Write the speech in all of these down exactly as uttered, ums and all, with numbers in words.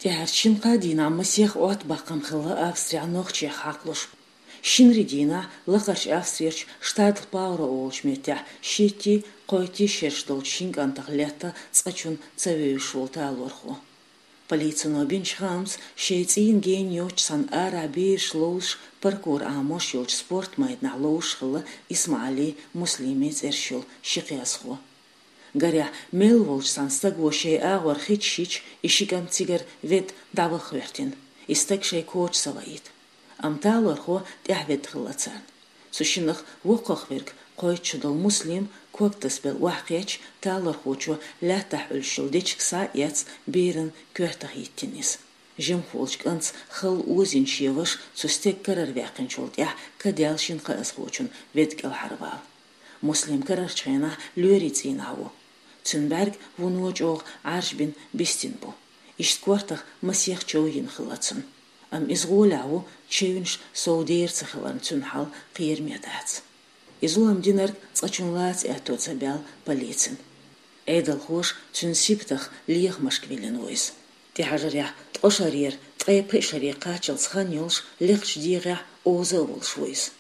ТӀехьарчу шина-кхаа дийнахь масех Ӏоттабаккхам хилла Австрехь нохчех хьакхалуш. Шинарин дийнахь Лакхарчу Австрерчу штатал Паура олучу меттехь шийтта, кхойтта шераш долчу шина кӀантах летта цкъачунна ца вевзаш волу талорхо. Полицино бинчу хаамца, шайн цӀийнан гена йоцчу цхьана арахь бераш ловзуш паркур Ӏамош йолчу спорт майданахь ловзуш хилла ИсмаӀалий Муслимий цӀераш йолу ши кхиазхо. Гарехь, мел волчу цхьана стага шайн агӀор хиташ йича, и ши кӀант цигара ведда дӀаваха хӀоьттина, и стаг шайн коча ца ваийта. Амма талорхо тӀаьхьаведда хилла царна. Цу шинах воккхах верг, кхойтта шо долу Муслим, ког тасабелла охьакхетча, талорхочо лаьттахь Ӏуьллуш йолу дечиг схьа а эцна, беран коьртах йиттина иза. Жимахволчу кӀанта халла озийна шен ваша цу стеган карара ваьккхинчул тӀаьхьа кадаьлла шина кхиазхочунна ведда кӀелхьарвала. Муслим карарчу хенахь лоьрийн цӀийнахь ву. Цуьнан бӀаьрг вуно чӀогӀа Ӏаржбина бистина бу. Иштта кортах масех чов йина хилла цунна. Амма иза гӀолехь ву, чевнаш сов дера ца хиларна цуьнан хьал кхераме дац. И зулам динарг цкъачунна лаца аьтто ца баьлла полицина. Ӏедалхоша цуьнан сибатах лехамашка виллина ву иза. ТӀехьажарехь ткъа шарера ткъе пхи шаре кхаччалц хан йолуш, лекхачу дегӀехь оза а волуш ву иза.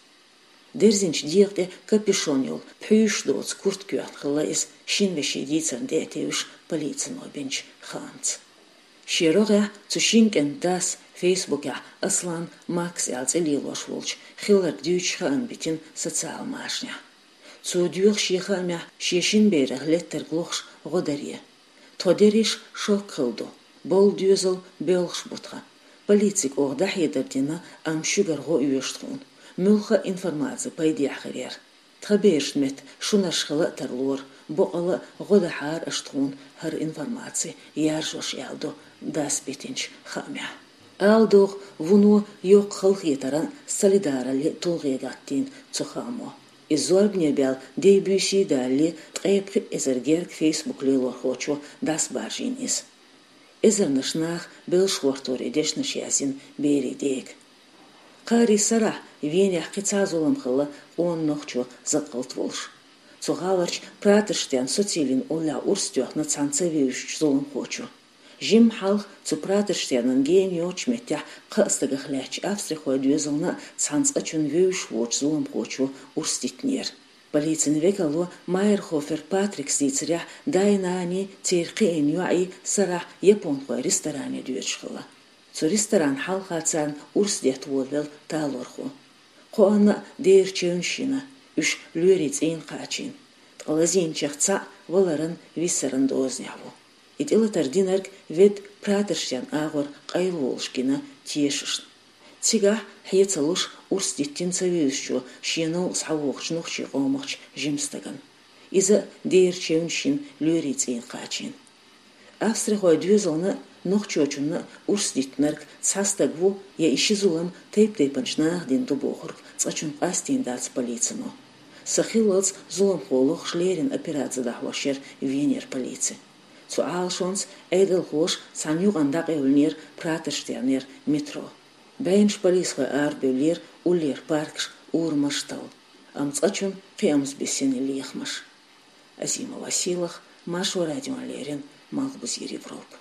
Дерзинчу дегӀа тӀе капюшон йолу, пхьуьйшаш доцу куртка йоьхна хилла иза, шина вешин дийцарна тӀе а тевжаш, полицино бинчу хаамца. Шен рогӀехь цу шина кӀентан дас, Фейсбукехь Аслан Макс аьлла цӀе лелош волчу, хилларг дуьйцуш хаам битина социал машанехь. Цо доьху шен хаамехь шен шина берах леттарг лохуш гӀо даре. Тхо дерриш шок хилла ду, болу доьзал боьлхуш бу тхан. Полицига оха дӀахьедар дина, амма шуьгара гӀо оьшу тхуна. Муьлхха а информаци пайдехь хир яра. Тхан берашна метта шунарш хила а тарлора, бакъалла а гӀо дахьара аша тхуна хӀара информаци яржош, аьлла ду дас битинчу хаамехь. Ала догӀу, вуно йоккха халахетаран а, солидараллин а тулгӀе гӀаттийна цу хаамо. Иза зорбане баьлла дей-буьйсий далале, ткъе пхи эзар герга Фейсбук лелорхочо дӀасабаржийна иза. Эзарнаш наха белшахӀорторе дешнаш яздина берийн дега. Кхаарин сарахь Венехь кхин цхьа зулам хилла къона нохчо закъалт волуш. Цу гӀаларчу Пратарштен социйлин уллехь урс тоьхна цхьана ца вевзачу зуламхочо. Жимма хьалха цу Пратарштенан гена йоцучу меттехь кхаа стагах лаьттачу австрихойн доьзална а цхьана цкъачунна вевзаш воцучу зуламхочо урс диттинера. Полицин векало Майерхофер Патрикс дийцарехь, дай-наний, церан кхиийна йоӀий сарахь японхойн ресторане доьдуш хилла. Цу ресторанна хьалха царна урс детта волавелла талорхо. Кхоанна а дера чевнаш йина, уьш лоьрийн цӀийнан кхачийна. Ткъа лазийначех цхьаъ валаран, виссаран дозанехь ву. И тӀелатар динарг ведда Пратарштен агӀор къайлаволуш гина тешашна. Цигахь, хье ца луш, урс диттина ца вевзачо шен новкъа схьавогӀучу нохчийн къомахчу жима стагана. Иза а дера чевнаш йина, лоьрийн цӀийнан кхачийна. Австрихойн доьзална а, нохчочунна а урс диттинарг цхьа стаг ву, я и ши зулам тайп-тайпанчу наха дина ду бохург цкъачунна къастийна дац полицино. Са хиллалц зуламхо лохуш леррина операци дӀахьош яра Венера полици. Цу Ӏалашонца Ӏедалхоша цхьана юкъана дӀакъевлинера Пратарштенера метро. БӀеннаш полисхой арабевллера уллера паркаш, урамаш талла. Амма цкъачунна кхиамза бисина лехамаш. Азимова Сийлаха, Маршо радиона леррина, Малхбузера Европа.